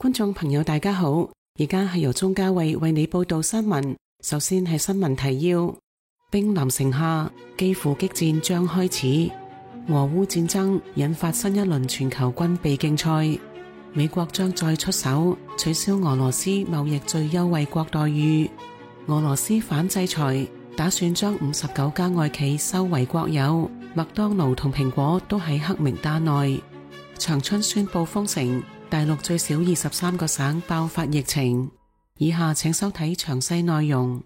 觀眾朋友大家好，而家係由鍾嘉慧為你報道新聞。首先係新聞提要：兵臨城下，基輔激戰將開始。俄烏戰爭引發新一輪全球軍備競賽。美國將再出手取消俄羅斯貿易最優惠國待遇。俄羅斯反制裁，打算將59家外企收為國有。麥當勞同蘋果都喺黑名單內。長春宣布封城，大陸最少23個省爆發疫情。以下請收睇詳細內容。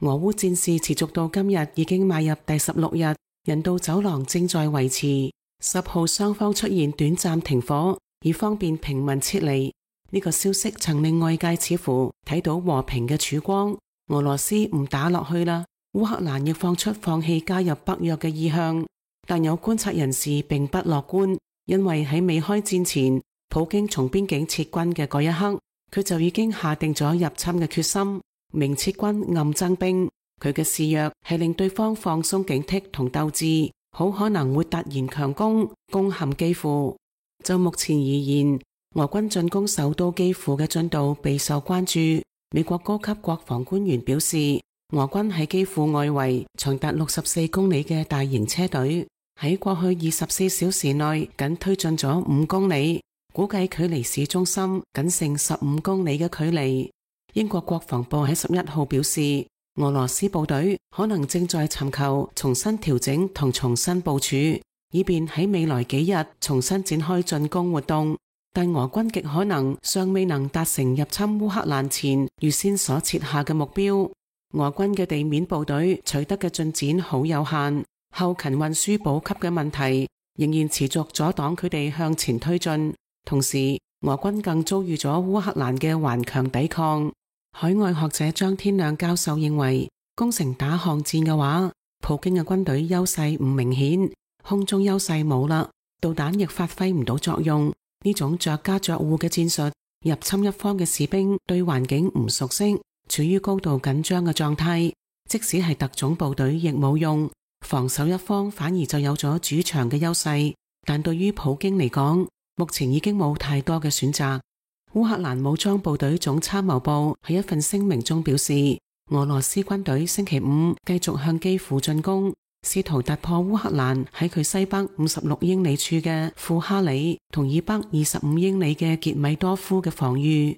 俄烏戰事持續到今日已經邁入第16日，人道走廊正在維持。10號雙方出現短暫停火，以方便平民撤離。呢個消息曾令外界似乎睇到和平嘅曙光。俄羅斯唔打落去啦，烏克蘭亦放出放棄加入北約嘅意向。但有觀察人士並不樂觀，因為喺未開戰前，普京從邊境撤軍嘅嗰一刻，佢就已經下定咗入侵嘅決心，明撤軍暗增兵。佢嘅示弱係令對方放鬆警惕同鬥志，好可能會突然強攻，攻陷基輔。就目前而言，俄軍進攻首都基輔嘅進度備受關注。美國高級國防官員表示，俄軍喺基輔外圍長達64公里嘅大型車隊，喺過去24小時內僅推進咗5公里，估計距離市中心僅剩15公里嘅距離。英國國防部喺11號表示，俄羅斯部隊可能正在尋求重新調整同重新部署，以便喺未來幾日重新展開進攻活動。但俄軍極可能尚未能達成入侵烏克蘭前預先所設下嘅目標。俄軍嘅地面部隊取得嘅進展好有限，後勤運輸補給嘅問題仍然持續阻擋佢哋向前推進。同時，俄軍更遭遇咗烏克蘭嘅頑強抵抗。海外學者張天亮教授認為，攻城打巷戰嘅話，普京嘅軍隊優勢唔明顯，空中優勢冇啦，導彈亦發揮唔到作用。呢種着家着戶嘅戰術，入侵一方嘅士兵對環境唔熟悉，處於高度緊張嘅狀態，即使係特種部隊亦冇用。防守一方反而就有咗主場嘅優勢，但對於普京嚟講，目前已經冇太多嘅選擇。烏克蘭武裝部隊總參謀部喺一份聲明中表示，俄羅斯軍隊星期五繼續向基輔進攻，試圖突破烏克蘭喺佢西北56英里處嘅庫哈里同以北25英里嘅傑米多夫嘅防禦。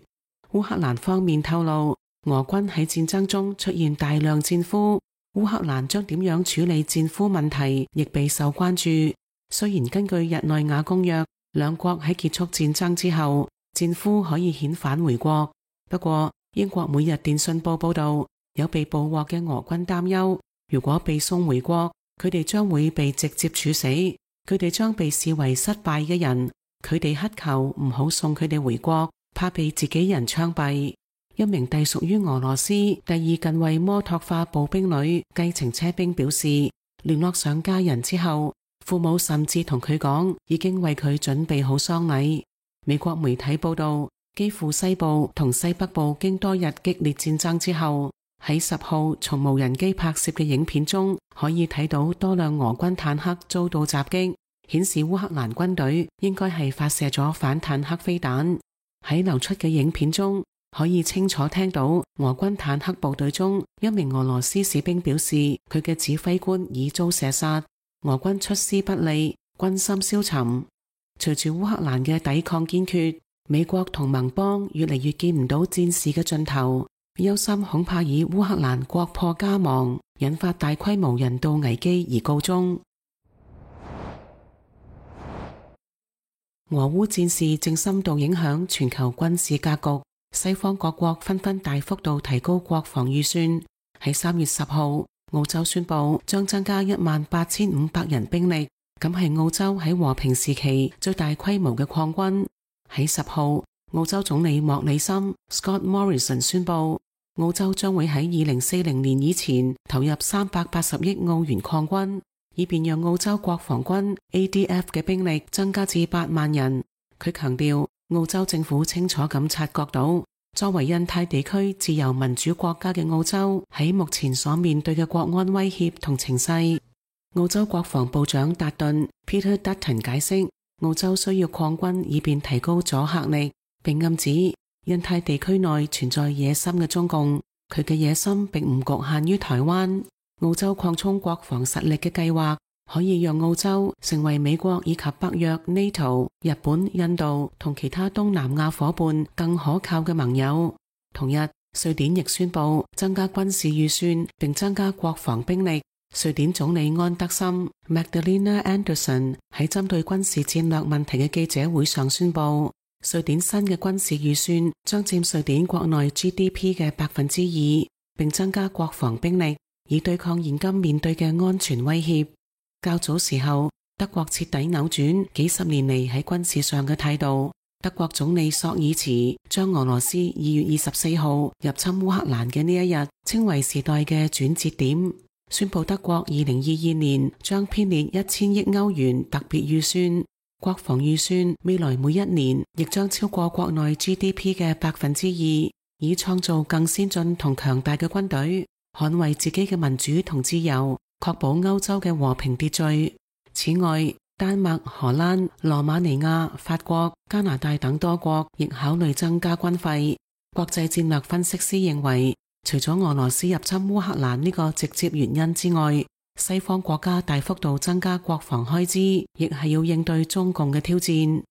烏克蘭方面透露，俄軍喺戰爭中出現大量戰俘，烏克蘭將點樣處理戰俘問題亦備受關注。雖然根據日內瓦公約，兩國喺結束戰爭之後，戰俘可以遣返回國。不過，英國每日電訊報報道，有被捕獲嘅俄軍擔憂，如果被送回國，佢哋將會被直接處死，佢哋將被視為失敗嘅人。佢哋乞求唔好送佢哋回國，怕被自己人槍斃。一名隸屬於俄羅斯第2近衛摩托化步兵旅計程車兵表示，聯絡上家人之後，父母甚至同佢講已經為佢準備好喪禮。美國媒體報道，基輔西部同西北部經多日激烈戰爭之後，喺10號從無人機拍攝嘅影片中，可以睇到多輛俄軍坦克遭到襲擊，顯示烏克蘭軍隊應該係發射咗反坦克飛彈。喺流出嘅影片中，可以清楚聽到俄軍坦克部隊中一名俄羅斯士兵表示，佢嘅指揮官已遭射殺，俄軍出師不利，軍心消沉。隨住烏克蘭嘅抵抗堅決，美國同盟邦越嚟越見唔到戰事嘅盡頭，憂心恐怕以烏克蘭國破家亡，引發大規模人道危機而告終。俄烏戰事正深度影響全球軍事格局，西方各國紛紛大幅度提高國防預算。喺3月10號，澳洲宣布將增加18500人兵力，咁係澳洲喺和平時期最大規模嘅擴軍。喺10號，澳洲總理莫里森 Scott Morrison 宣布，澳洲將會喺2040年以前投入380億澳元擴軍，以便讓澳洲國防軍 ADF 嘅兵力增加至8萬人。佢強調，澳洲政府清楚咁察覺到，作為印太地區自由民主國家嘅澳洲喺目前所面對嘅國安威脅同情勢。澳洲國防部長達頓 Peter Dutton 解釋，澳洲需要擴軍以便提高阻嚇力，並暗指印太地區內存在野心嘅中共，佢嘅野心並唔局限於台灣。澳洲擴充國防實力嘅計劃可以讓澳洲成為美國以及北約、NATO、日本、印度同其他東南亞夥伴更可靠嘅盟友。同日，瑞典亦宣布增加軍事預算並增加國防兵力。瑞典總理安德森 Magdalena Andersson 喺針對軍事戰略問題嘅記者會上宣布，瑞典新嘅軍事預算將佔瑞典國內 GDP 嘅2%，並增加國防兵力，以對抗現今面對嘅安全威脅。較早時候，德國徹底扭轉幾十年嚟喺軍事上嘅態度。德國總理朔爾茨將俄羅斯2月24號入侵烏克蘭嘅呢一日稱為時代嘅轉折點，宣布德國2022年將編列1000億歐元特別預算，國防預算未來每一年亦將超過國內 GDP 嘅2%，以創造更先進同強大嘅軍隊，捍衛自己嘅民主同自由，確保歐洲嘅和平秩序。此外，丹麥、荷蘭、羅馬尼亞、法國、加拿大等多國亦考慮增加軍費。國際戰略分析師認為，除咗俄羅斯入侵烏克蘭呢個直接原因之外，西方國家大幅度增加國防開支，亦係要應對中共嘅挑戰。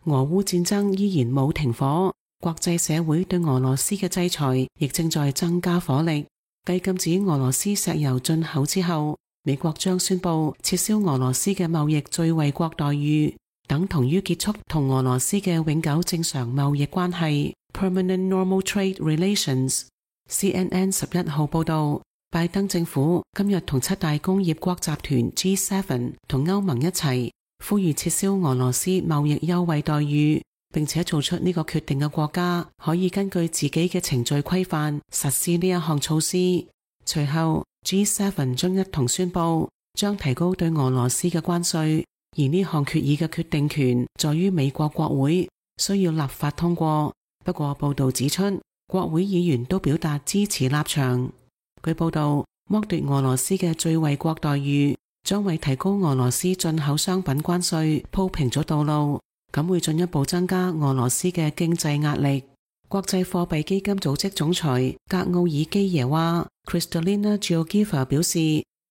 俄烏戰爭依然冇停火，國際社會對俄羅斯嘅制裁亦正在增加火力。繼禁止俄羅斯石油進口之後，美國將宣布撤銷俄羅斯嘅貿易最惠國待遇，等同於結束同俄羅斯嘅永久正常貿易關係 （Permanent Normal Trade Relations）。CNN 11號報道，拜登政府今日同7大工業國集團 G7 同歐盟一齊，呼籲撤銷俄羅斯貿易優惠待遇。並且做出呢個決定嘅國家可以根據自己嘅程序規範實施呢一項措施。隨後 G7 將一同宣布將提高對俄羅斯嘅關稅，而呢項決議嘅決定權在於美國國會，需要立法通過。不過報道指出，國會議員都表達支持立場。據報道，剝奪俄羅斯嘅最惠國待遇將為提高俄羅斯進口商品關稅鋪平咗道路，咁會進一步增加俄羅斯嘅經濟壓力。國際貨幣基金組織總裁格奧爾基耶娃 Kristalina Georgieva 表示，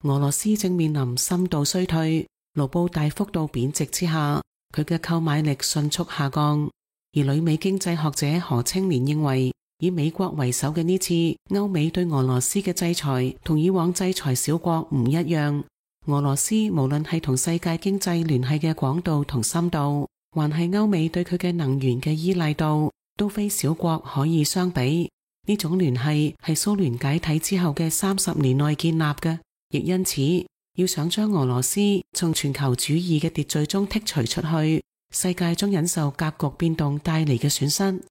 俄羅斯正面臨深度衰退，盧布大幅度貶值之下，佢嘅購買力迅速下降。而旅美經濟學者何清漣認為，以美國為首嘅呢次歐美對俄羅斯嘅制裁同以往制裁小國唔一樣。俄羅斯無論係同世界經濟聯繫嘅廣度同深度，還係歐美對佢嘅能源嘅依賴度，都非小國可以相比。呢種聯繫係蘇聯解體之後嘅30年內建立嘅，亦因此要想將俄羅斯從全球主義嘅秩序中剔除出去，世界將忍受格局變動帶嚟嘅損失。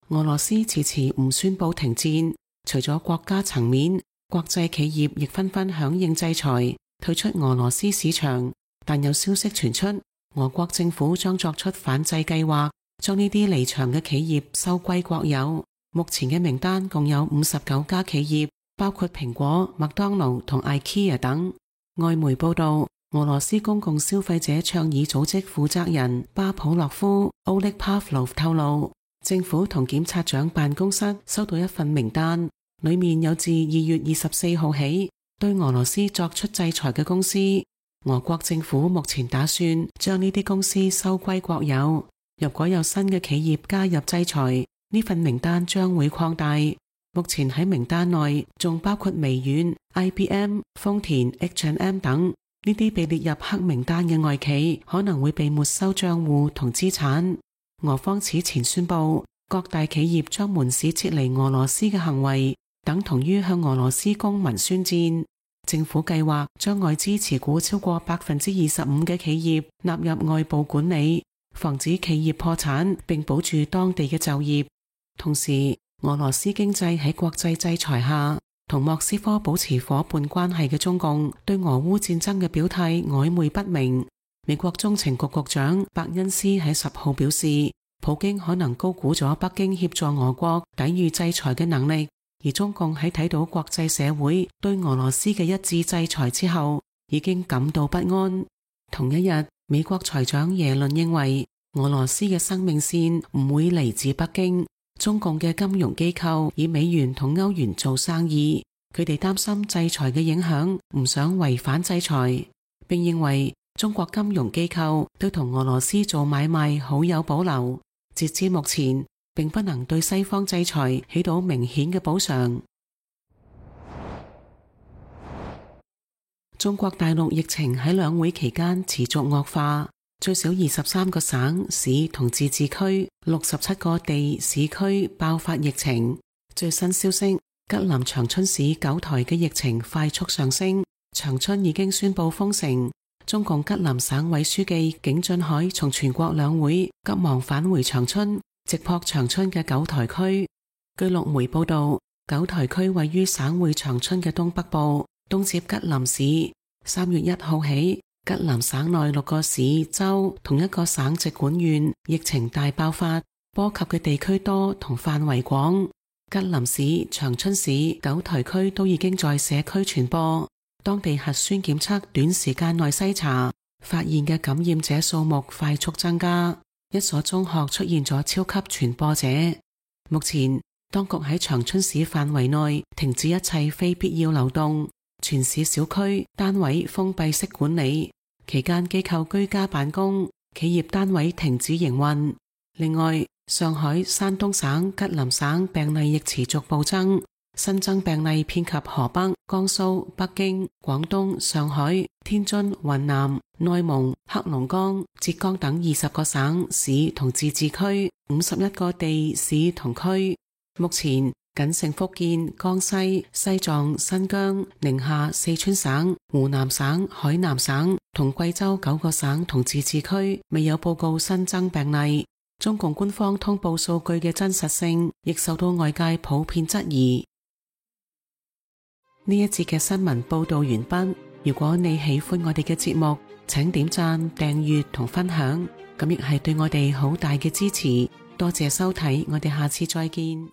俄羅斯遲遲唔宣布停戰，除咗國家層面，國際企業亦紛紛響應制裁，退出俄羅斯市場。但有消息傳出，俄國政府將作出反制計劃，將呢啲離場嘅企業收歸國有。目前嘅名單共有59家企業，包括蘋果、麥當勞同 IKEA 等。外媒報道，俄羅斯公共消費者倡議組織負責人巴普洛夫 Oleg Pavlov 透露，政府同檢察長辦公室收到一份名單，裡面有自2月24號起對俄羅斯作出制裁嘅公司。俄國政府目前打算將呢啲公司收歸國有。如果有新嘅企業加入制裁，呢份名單將會擴大。目前喺名單內仲包括微軟、IBM、豐田、H&M 等。呢啲被列入黑名單嘅外企可能會被沒收賬戶同資產。俄方此前宣布，各大企業將門市撤離俄羅斯嘅行為等同於向俄羅斯公民宣戰。政府計劃將外資持股超過25%嘅企業納入外部管理，防止企業破產並保住當地嘅就業。同時，俄羅斯經濟喺國際制裁下，同莫斯科保持夥伴關係嘅中共對俄烏戰爭嘅表態曖昧不明。美國中情局局長伯恩斯喺10號表示，普京可能高估咗北京協助俄國抵禦制裁嘅能力。而中共喺睇到國際社會對俄羅斯嘅一致制裁之後，已經感到不安。同一日，美國財長耶倫認為俄羅斯嘅生命線唔會嚟自北京。中共嘅金融機構以美元同歐元做生意，佢哋擔心制裁嘅影響，唔想違反制裁，並認為中國金融機構對同俄羅斯做買賣好有保留。截至目前，並不能對西方制裁起到明顯嘅補償。中國大陸疫情喺兩會期間持續惡化，最少23個省市同自治區，67個地市區爆發疫情。最新消息，吉林長春市九台嘅疫情快速上升，長春已經宣布封城。中共吉林省委書記景俊海從全國兩會急忙返回長春，直撲長春嘅九台區。據陸媒報道，九台區位於省會長春嘅東北部，東接吉林市。3月1號起，吉林省內6個市州同一個省直管縣疫情大爆發，波及嘅地區多同範圍廣。吉林市、長春市、九台區都已經在社區傳播。當地核酸檢測短時間內篩查，發現嘅感染者數目快速增加。一所中學出現咗超級傳播者。目前，當局喺長春市範圍內停止一切非必要流動，全市小區單位封閉式管理，期間機構居家辦公，企業單位停止營運。另外，上海、山東省、吉林省病例亦持續暴增，新增病例遍及河北、江蘇、北京、廣東、上海、天津、雲南、內蒙、黑龍江、浙江等20個省市同自治區，51個地市同區。目前僅剩福建、江西、西藏、新疆、寧夏、四川省、湖南省、海南省同貴州9個省同自治區未有報告新增病例。中共官方通報數據嘅真實性亦受到外界普遍質疑。呢一節嘅新聞報道完畢。如果你喜歡我哋嘅節目，請點讚、訂閱同分享，咁亦係對我哋好大嘅支持。多謝收睇，我哋下次再見。